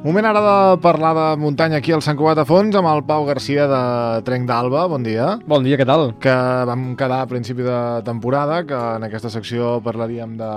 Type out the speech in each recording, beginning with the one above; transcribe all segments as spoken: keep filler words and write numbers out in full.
Moment ara de parlar de muntanya aquí al Sant Cugat a Fons amb el Pau Garcia de Trenc d'Alba. Bon dia. Bon dia, què tal? Que vam quedar a principi de temporada, que en aquesta secció parlaríem de,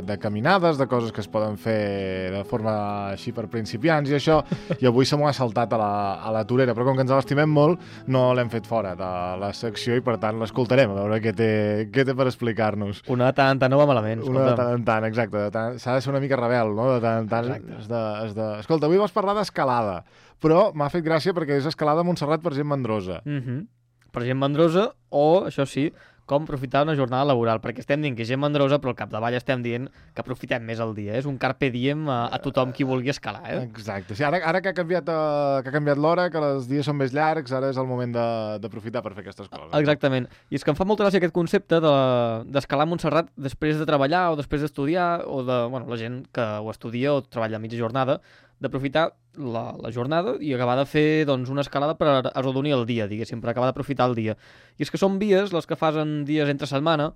de caminades, de coses que es poden fer de forma així per principiants i això, i avui se m'ho ha saltat a la, a la torera, però com que ens l'estimem molt, no l'hem fet fora de la secció i per tant l'escoltarem, a veure què té, què té per explicar-nos. Una de tant en tant no va malament. Una de tant en tant, exacte. S'ha de ser una mica rebel, no? De tant en tant has de, has de... Escolta, avui vas parlar d'escalada, però m'ha fet gràcia perquè és escalada a Montserrat per gent mandrosa. Mm-hmm. Per gent mandrosa o, això sí, com aprofitar una jornada laboral, perquè estem dient que és gent mandrosa, però al capdavall estem dient que aprofitem més el dia. És un carpe diem a, a tothom qui vulgui escalar, eh? Exacte. Sí, ara, ara que ha canviat, uh, que ha canviat l'hora, que els dies són més llargs, ara és el moment d'aprofitar per fer aquestes coses. Exactament. I és que em fa molta gràcia aquest concepte d'escalar de, a Montserrat després de treballar o després d'estudiar, o de, bueno, la gent que ho estudia o treballa a mitja jornada, d'aprofitar la, la jornada i acabar de fer doncs, una escalada per arrodonir el dia, diguéssim, per acabar d'aprofitar el dia. I és que són vies, les que fas en dies entre setmana,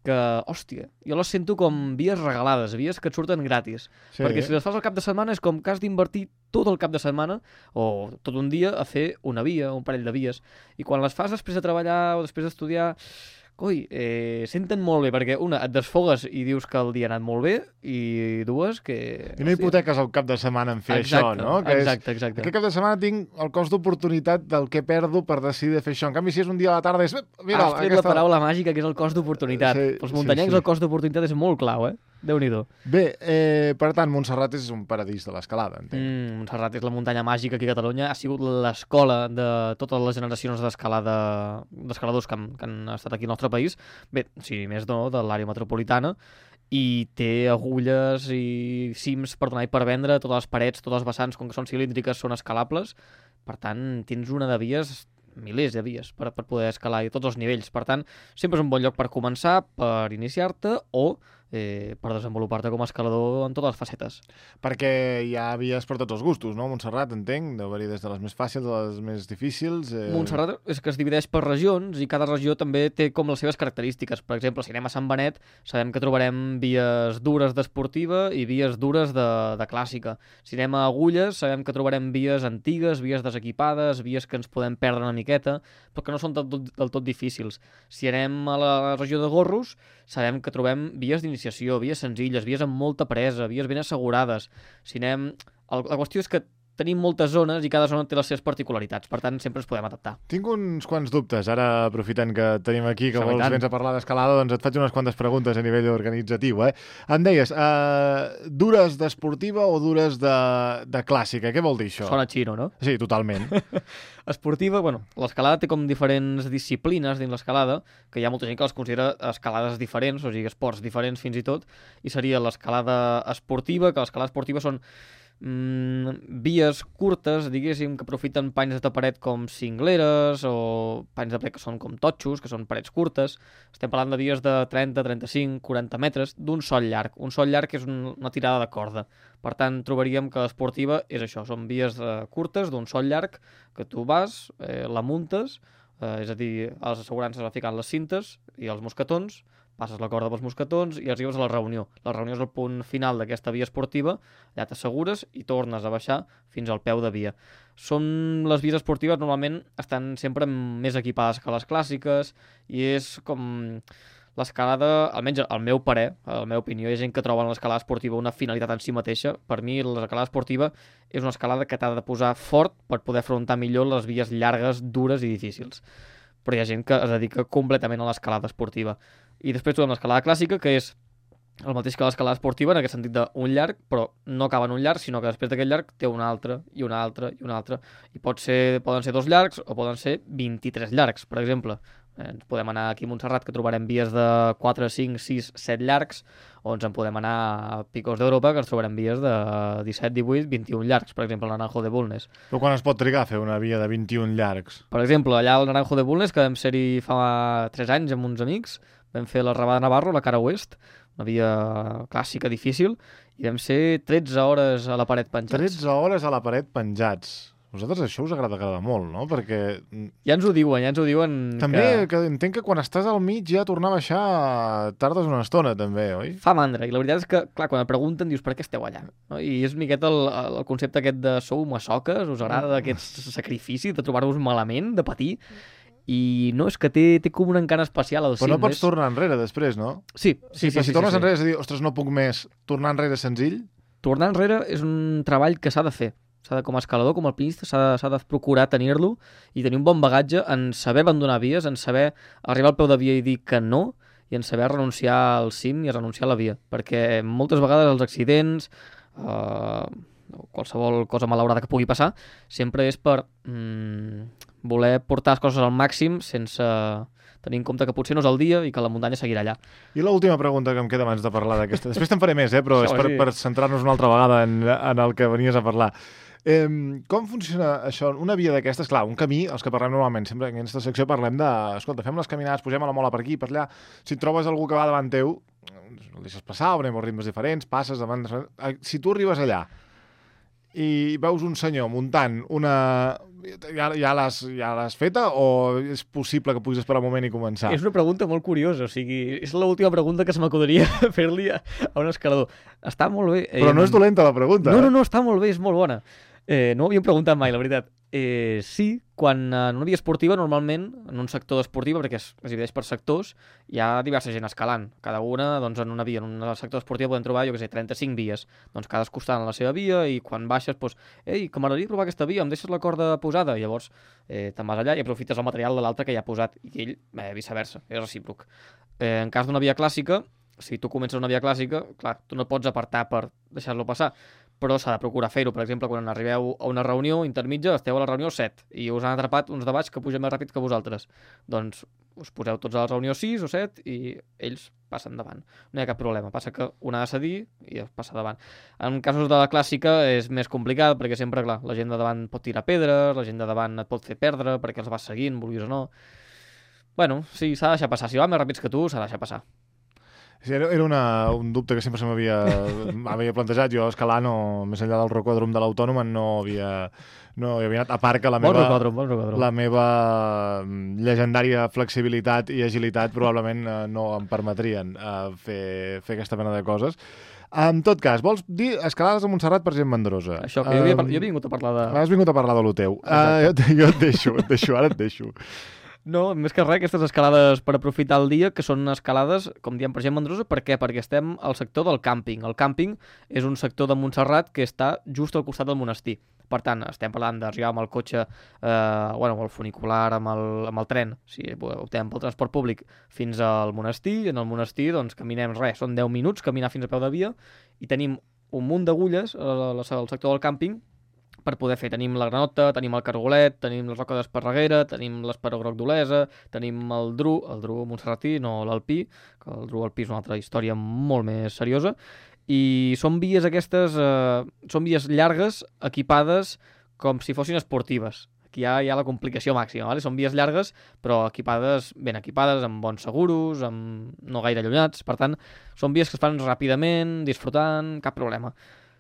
que, hòstia, jo les sento com vies regalades, vies que et surten gratis. Sí. Perquè si les fas al cap de setmana és com que has d'invertir tot el cap de setmana o tot un dia a fer una via, un parell de vies. I quan les fas després de treballar o després d'estudiar, coi, eh, senten molt bé, perquè una, et desfogues i dius que el dia ha anat molt bé, i dues, que... I no hipoteques el cap de setmana en fer exacte, això, no? Que exacte, és, exacte. Aquest cap de setmana tinc el cost d'oportunitat del que perdo per decidir de fer això. En canvi, si és un dia a la tarda, és... Mira, has tret aquesta... la paraula màgica, que és el cost d'oportunitat. Sí, Pels muntanyencs sí, sí. El cost d'oportunitat és molt clau, eh? Déu-n'hi-do. Bé, eh, per tant, Montserrat és un paradís de l'escalada, entenc. Mm, Montserrat és la muntanya màgica aquí a Catalunya. Ha sigut l'escola de totes les generacions d'escalada d'escaladors que, han, que han estat aquí al nostre país. Bé, si més no, de l'àrea metropolitana. I té agulles i cims per donar i per vendre. Totes les parets, totes les vessants, com que són cilíndriques, són escalables. Per tant, tens una de vies... milers de vies per, per poder escalar i tots els nivells. Per tant, sempre és un bon lloc per començar, per iniciar-te o eh, per desenvolupar-te com a escalador en totes les facetes. Perquè hi ha vies per tots els gustos, no? Montserrat, entenc, deu haver-hi des de les més fàcils a les més difícils. Eh... Montserrat és que es divideix per regions i cada regió també té com les seves característiques. Per exemple, si anem a Sant Benet, sabem que trobarem vies dures d'esportiva i vies dures de, de clàssica. Si anem a Agulles, sabem que trobarem vies antigues, vies desequipades, vies que ens podem perdre una miqueta, però que no són del tot, del tot difícils. Si anem a la regió de Gorros, sabem que trobem vies d'iniciació, vies senzilles, vies amb molta presa, vies ben assegurades. Si anem... La qüestió és que tenim moltes zones i cada zona té les seves particularitats, per tant sempre ens podem adaptar. Tinc uns quants dubtes, ara aprofitant que tenim aquí, que vols vens a parlar d'escalada, doncs et faig unes quantes preguntes a nivell organitzatiu. Eh? Em deies, uh, dures d'esportiva o dures de, de clàssica? Què vol dir això? Sona xino, no? Sí, totalment. Esportiva, bueno, l'escalada té com diferents disciplines dins l'escalada, que hi ha molta gent que les considera escalades diferents, o sigui, esports diferents fins i tot, i seria l'escalada esportiva, que l'escalada esportiva són Mm, vies curtes, diguéssim, que aprofiten panys de paret com cingleres o panys de paret que són com totxos, que són parets curtes. Estem parlant de vies de trenta, trenta-cinc, quaranta metres d'un sol llarg. Un sol llarg és un, una tirada de corda. Per tant, trobaríem que l'esportiva és això, són vies eh, curtes d'un sol llarg que tu vas, eh, la muntes, eh, és a dir, a les assegurances va ficant les cintes i els mosquetons, passes la corda pels mosquetons i arribes a la reunió. La reunió és el punt final d'aquesta via esportiva, allà t'assegures i tornes a baixar fins al peu de via. Són les vies esportives normalment estan sempre més equipades que les clàssiques i és com l'escalada, almenys al meu parer, a la meva opinió, hi ha gent que troba en l'escalada esportiva una finalitat en si mateixa. Per mi l'escalada esportiva és una escalada que t'ha de posar fort per poder afrontar millor les vies llargues, dures i difícils. Però hi ha gent que es dedica completament a l'escalada esportiva. I després trobem l'escalada clàssica, que és el mateix que l'escalada esportiva, en aquest sentit d'un llarg, però no acaba en un llarg, sinó que després d'aquest llarg té un altre, i un altre, i un altre. I pot ser, poden ser dos llargs o poden ser vint-i-tres llargs, per exemple. Eh, ens podem anar aquí a Montserrat, que trobarem vies de quatre, cinc, sis, set llargs, o ens en podem anar a Picos d'Europa, que ens trobarem vies de disset, divuit, vint-i-un llargs, per exemple, el Naranjo de Bulnes. Però quan es pot trigar a fer una via de vint-i-un llargs? Per exemple, allà al Naranjo de Bulnes, que vam ser-hi fa tres anys amb uns amics, vam fer la Rabada de Navarro, la cara oest, una via clàssica difícil, i vam ser tretze hores a la paret penjats. tretze hores a la paret penjats. A vosaltres això us agrada, agrada molt, no? Perquè... Ja ens ho diuen, ja ens ho diuen també que... que entenc que quan estàs al mig ja tornar a baixar tardes una estona, també, oi? Fa mandra, i la veritat és que, clar, quan et pregunten dius per què esteu allà, no? I és una miqueta el, el concepte aquest de sou massoques, us agrada aquest sacrifici de trobar-vos malament, de patir, i no, és que té, té com un encant especial al cim. Però no pots és... tornar enrere després, no? Sí, sí, sí. Però sí, si tornes sí, sí. enrere és a dir, ostres, no puc més, tornar enrere senzill? Tornar enrere és un treball que s'ha de fer. S'ha de, com a escalador, com a alpinista, s'ha de, s'ha de procurar tenir-lo i tenir un bon bagatge en saber abandonar vies, en saber arribar al peu de via i dir que no, i en saber renunciar al cim i renunciar a la via. Perquè moltes vegades els accidents, eh, qualsevol cosa malaurada que pugui passar, sempre és per mm, voler portar les coses al màxim sense tenir en compte que potser no és el dia i que la muntanya seguirà allà. I l'última pregunta que em queda abans de parlar d'aquesta... Després te'n faré més, eh? Però és per, sí. per centrar-nos una altra vegada en, en el que venies a parlar. Eh, com funciona això? Una via d'aquestes, clar, un camí, els que parlem normalment, sempre en aquesta secció parlem de, escolta, fem les caminades, pugem a la mola per aquí, per allà, si et trobes algú que va davant teu, el deixes passar, o anem a ritmes diferents, passes davant... Si tu arribes allà i veus un senyor muntant una... Ja, ja l'has ja l'has feta o és possible que puguis esperar un moment i començar? És una pregunta molt curiosa, o sigui, és l'última pregunta que se m'acudiria fer-li a, a un escalador. Està molt bé. Però no és dolenta la pregunta. No, eh? no, no, està molt bé, és molt bona. Eh, no ho havíem preguntat mai, la veritat. Eh, sí, quan en una via esportiva, normalment, en un sector d'esportiva, perquè es, es divideix per sectors, hi ha diversa gent escalant. Cada una, doncs, en una via, en un sector d'esportiva podem trobar, jo què sé, trenta-cinc vies. Doncs cadascú està en la seva via i quan baixes, doncs, ei, que m'agradaria provar aquesta via, em deixes la corda posada? I llavors eh, te'n vas allà i aprofites el material de l'altre que ja ha posat i ell, eh, viceversa, és recíproc. Eh, en cas d'una via clàssica, si tu comences una via clàssica, clar, tu no pots apartar per deixar-lo passar, però s'ha de procurar fer-ho. Per exemple, quan arribeu a una reunió intermitja, esteu a la reunió set i us han atrapat uns de baix que pugen més ràpid que vosaltres. Doncs us poseu tots a la reunió sis o set i ells passen davant. No hi ha cap problema, passa que un ha de cedir i passa davant. En casos de la clàssica és més complicat perquè sempre, clar, la gent de davant pot tirar pedres, la gent de davant et pot fer perdre perquè els vas seguint, vulguis o no. Bueno, sí, s'ha de deixar passar. Si van més ràpids que tu, s'ha de deixar passar. Sí, era una, un dubte que sempre se m'havia havia plantejat. Jo escalar, no, més enllà del rocòdrom de l'Autònoma, no havia, no hi havia anat. A part que la bon meva, rocòdrom, bon rocòdrom. la meva llegendària flexibilitat i agilitat probablement eh, no em permetrien eh, fer, fer aquesta mena de coses. En tot cas, vols dir escalades a Montserrat per gent mandrosa? Això, que jo, havia, jo he vingut a parlar de... Has vingut a parlar de lo teu. Uh, jo, jo et deixo, et deixo, ara et deixo. No, més que res, aquestes escalades per aprofitar el dia, que són escalades, com diem, per gent mandrosa. Per què? Perquè estem al sector del càmping. El càmping és un sector de Montserrat que està just al costat del monestir. Per tant, estem parlant d'arribar amb el cotxe, eh, bueno, amb el funicular, amb el, amb el tren, si optem pel transport públic, fins al monestir. En el monestir, doncs, caminem res, són deu minuts, caminar fins a peu de via, i tenim un munt d'agulles al sector del càmping per poder fer. Tenim la granota, tenim el cargolet, tenim la roca d'Esparreguera, tenim l'esperó groc d'Olesa, tenim el dru, el dru montserratí, no l'alpí, que el dru alpí és una altra història molt més seriosa, i són vies aquestes, eh, són vies llargues, equipades com si fossin esportives. Aquí hi ha, hi ha la complicació màxima, ¿vale? Són vies llargues, però equipades, ben equipades, amb bons seguros, amb no gaire allunyats, per tant, són vies que es fan ràpidament, disfrutant, cap problema.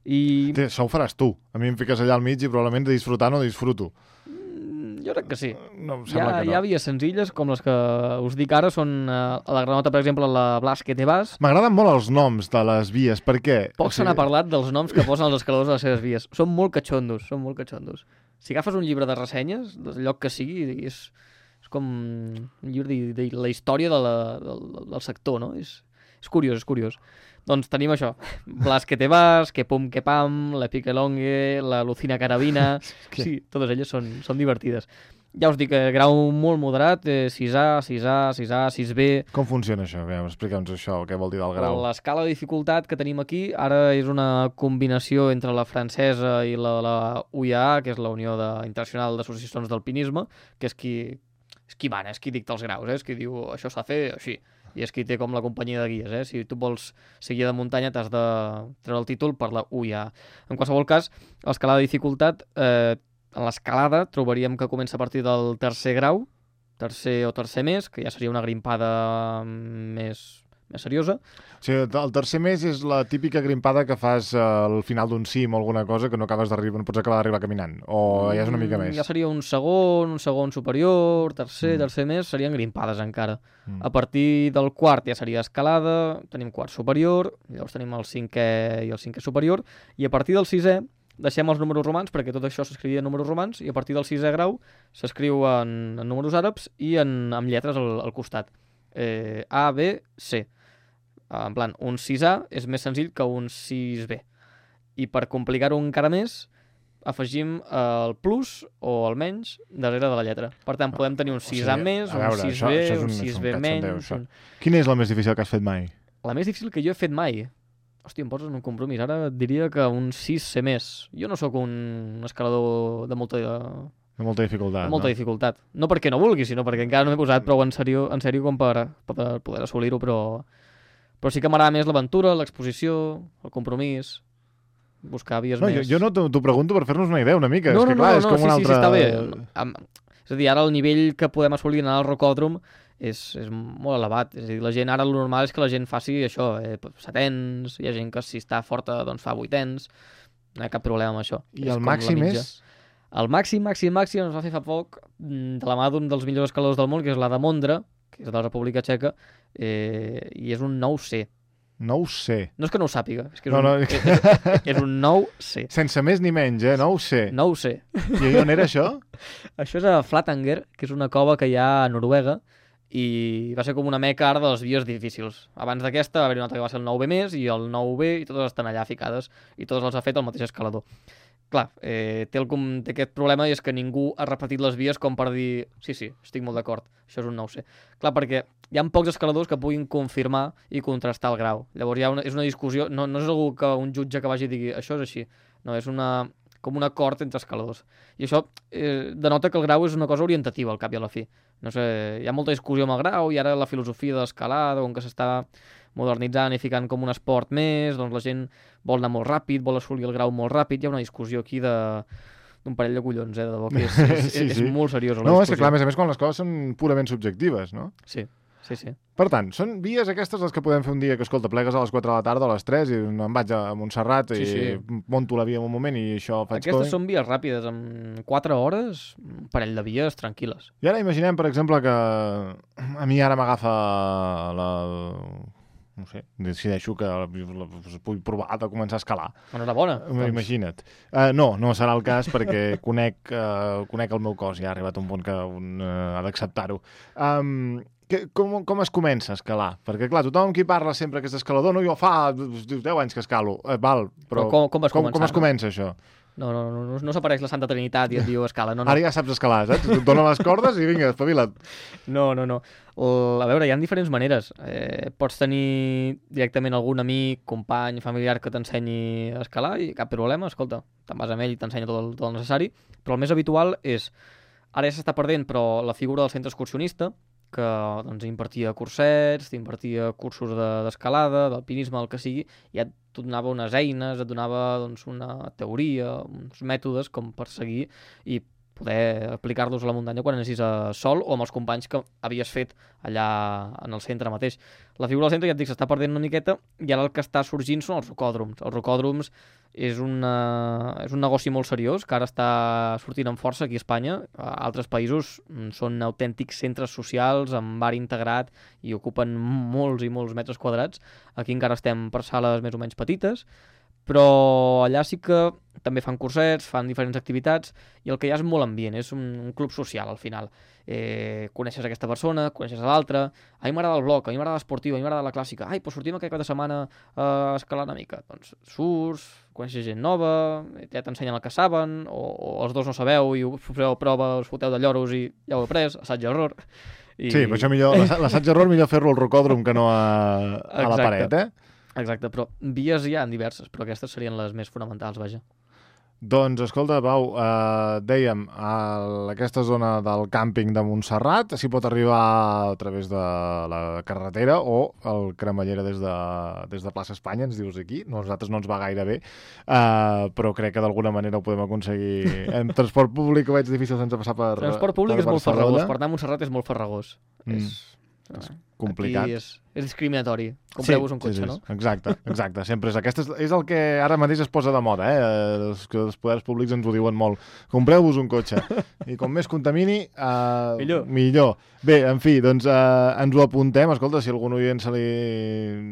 I... Té, això ho faràs tu. A mi em fiques allà al mig i probablement de disfrutar no disfruto. Mm, jo crec que sí. No, em hi, sembla ha, que no. hi ha vies senzilles, com les que us dic ara, són eh, a la granota, per exemple, la Blas que te vas. M'agraden molt els noms de les vies, per què? Poc se n'ha parlat dels noms que posen els escaladors a les seves vies. Són molt catxondos, són molt catxondos. Si agafes un llibre de ressenyes, del lloc que sigui, és, és com un llibre de, de la història de la, del, del sector, no? És, és curiós, és curiós. Doncs tenim això, Blas que te vas, que pum que pam, la pique longue, la Lucina carabina... Sí, totes elles són, són divertides. Ja us dic, eh, grau molt moderat, eh, sis A, sis A, sis A, sis B... Com funciona això? Explica'ns això, què vol dir del grau. L'escala de dificultat que tenim aquí ara és una combinació entre la francesa i la, la U I A A, que és la Unió de, Internacional d'Associacions d'Alpinisme, que és qui, és qui mana, és qui dicta els graus, eh? És qui diu això s'ha de fer així. I és qui té com la companyia de guies, eh? Si tu vols ser guia de muntanya t'has de treure el títol per la U I A A. En qualsevol cas, l'escalada de dificultat, eh, en l'escalada trobaríem que comença a partir del tercer grau, tercer o tercer més, que ja seria una grimpada més, més seriosa. O sigui, el tercer mes és la típica grimpada que fas al final d'un cim o alguna cosa que no acabes d'arribar, no pots acabar d'arribar caminant, o ja és una mica més? Ja seria un segon, un segon superior, tercer, Mm. tercer mes, serien grimpades encara. Mm. A partir del quart ja seria escalada, tenim quart superior, llavors tenim el cinquè i el cinquè superior, i a partir del sisè deixem els números romans, perquè tot això s'escrivia en números romans, i a partir del sisè grau s'escriu en, en números àrabs i en, amb lletres al, al costat. Eh, A, B, C. En plan, un sis A és més senzill que un sis B. I per complicar-ho encara més, afegim el plus o el menys darrere de la lletra. Per tant, podem tenir un sis A sigui, més, a veure, un sis això- B, això és un un- sis és un B cachondeo, menys... això. Un... Quina és la més difícil que has fet mai? La més difícil que jo he fet mai... Hòstia, em poses en un compromís. Ara et diria que un sis C més. Jo no sóc un escalador de molta, de De molta dificultat, molta no? dificultat. No perquè no vulgui, sinó perquè encara no m'he posat prou en sèrio, en sèrio com per, per poder assolir-ho, però, però sí que m'agrada més l'aventura, l'exposició, el compromís, buscar vies No, jo, més... jo no t'ho t'ho pregunto per fer-nos una idea una mica. No, és que, no, clar, no, és no, com sí, un sí, altre... sí, està bé. Am- És a dir, ara el nivell que podem assolir anar al rocòdrom és, és molt elevat. És a dir, la gent, ara el normal és que la gent faci això, eh, setens, hi ha gent que si està forta doncs fa vuitens, no hi ha cap problema amb això. I És el com la màxim mitja. és... El màxim, màxim, màxim ens va fer fa poc mm, de la mà d'un dels millors escaladors del món, que és la de Mondra, que és de la República Txeca, eh, i és un nou C. No ho sé. No és que no ho sàpiga, és que és, No, un, no. és, és un nou C. Sense més ni menys, eh? No ho sé. Nou C. I on era això? Això és a Flatanger, que és una cova que hi ha a Noruega, i va ser com una meca ara de les vies difícils. Abans d'aquesta va haver una altra que va ser el nou B més i el nou B, i totes estan allà ficades, i totes les ha fet el mateix escalador. Clar, eh, té, el, com- té aquest problema i és que ningú ha repetit les vies com per dir sí, sí, estic molt d'acord, això és un nou C. Clar, perquè hi ha pocs escaladors que puguin confirmar i contrastar el grau. Llavors hi ha una, és una discussió, no, no és algú que un jutge que vagi i digui això és així, no, és una, com un acord entre escaladors. I això eh, denota que el grau és una cosa orientativa al cap i a la fi. No sé, hi ha molta discussió amb el grau i ara la filosofia de l'escalada, on que s'està modernitzant i ficant com un esport més, doncs la gent vol anar molt ràpid, vol assolir el grau molt ràpid, hi ha una discussió aquí de d'un parell de collons, eh, de debò, que és, és, Sí, és, sí. és molt seriosa la No, és discussió. que clar, a més a més, quan les coses són purament subjectives, no? Sí, sí, sí. Per tant, són vies aquestes les que podem fer un dia que, escolta, plegues a les quatre de la tarda o a les tres i em vaig a Montserrat Sí, i sí. monto la via en un moment i això faig Aquestes codi. són vies ràpides, en quatre hores, un parell de vies tranquil·les. I ara imaginem, per exemple, que a mi ara m'agafa la... no sé, decideixo que la, la, vull provar de començar a escalar. Enhorabona. Doncs. Imagina't. Uh, no, no serà el cas perquè conec, uh, conec el meu cos, ja ha arribat un punt que un, uh, ha d'acceptar-ho. Um, que, com, com es comença a escalar? Perquè, clar, tothom qui parla sempre que és escalador, no, jo fa deu anys que escalo. Uh, val, però, Però com- com vas com, començar, com es no? comença això? No, no, no, no, no s'apareix la Santa Trinitat i et diu escala, no, no. Ara ja saps escalar, saps? Et dona les cordes i vinga, espavila't. No, no, no. El, a veure, hi ha diferents maneres. Eh, pots tenir directament algun amic, company, familiar que t'ensenyi a escalar i cap problema, escolta, te'n vas amb ell i t'ensenya tot, el, tot el necessari, però el més habitual és, ara ja s'està perdent, però la figura del centre excursionista, que doncs, impartia cursets, impartia cursos de- d'escalada, de, d'alpinisme, el que sigui, i et donava unes eines, et donava doncs, una teoria, uns mètodes com per seguir i poder aplicar-los a la muntanya quan anessis a sol o amb els companys que havies fet allà en el centre mateix. La figura del centre, ja et dic, s'està perdent una miqueta i ara el que està sorgint són els rocòdroms. Els rocòdroms és, una, és un negoci molt seriós que ara està sortint amb força aquí a Espanya. A altres països mm, són autèntics centres socials amb bar integrat i ocupen molts i molts metres quadrats. Aquí encara estem per sales més o menys petites, però allà sí que també fan cursets, fan diferents activitats i el que hi ha és molt ambient, és un, un club social al final. Eh, coneixes aquesta persona, coneixes a l'altra, a mi m'agrada el bloc, a mi m'agrada l'esportiu, a mi m'agrada la clàssica, ai, doncs sortim aquest cap de setmana a escalar una mica. Doncs surts, coneixes gent nova, ja t'ensenyen el que saben, o, o els dos no sabeu i us feu prova, us foteu de lloros i ja ho heu après, assaig-error. I... Sí, però això millor, l'assa- l'assaig-error millor fer-lo al rocòdrom que no a, a la Exacte. paret, eh? Exacte, però vies hi ha diverses, però aquestes serien les més fonamentals, vaja. Doncs, escolta, Pau, eh, dèiem, a aquesta zona del càmping de Montserrat s'hi pot arribar a través de la carretera o el cremallera des de, des de plaça Espanya, ens dius aquí. Nosaltres no ens va gaire bé, eh, però crec que d'alguna manera ho podem aconseguir. En transport públic ho veig difícil sense passar per Transport públic per és molt Barcelona. farragós, per anar a Montserrat és molt farragós. Mm. És, és complicat. Aquí és, és discriminatori. Compreu-vos sí, un cotxe, sí, sí, no? Exacte, exacte. Sempre és, aquest és, és el que ara mateix es posa de moda, eh? Els, que els poders públics ens ho diuen molt. Compreu-vos un cotxe. I com més contamini, uh, millor. millor. Bé, en fi, doncs uh, ens ho apuntem. Escolta, si algun oient se li,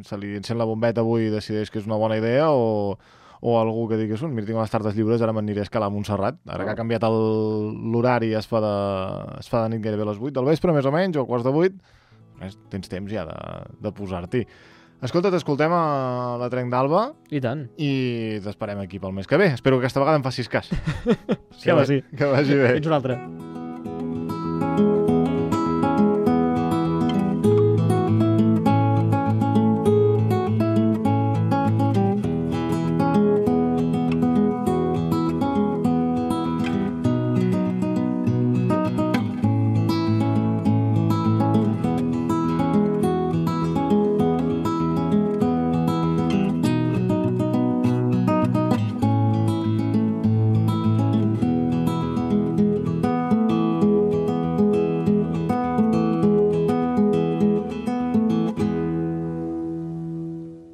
se li encén la bombeta avui i decideix que és una bona idea o... o algú que digui, mira, tinc unes tardes lliures, ara m'aniré a escalar a Montserrat. Ara que ha canviat l'horari, es, fa de, es fa de nit gairebé a les vuit del vespre, més o menys, o a quarts de vuit, tens temps ja de, de posar-t'hi. Escolta, t'escoltem a la Trenc d'Alba. I tant. I t'esperem aquí pel mes que ve. Espero que aquesta vegada em facis cas. que, que, sí. Que vagi bé. Fins una altra.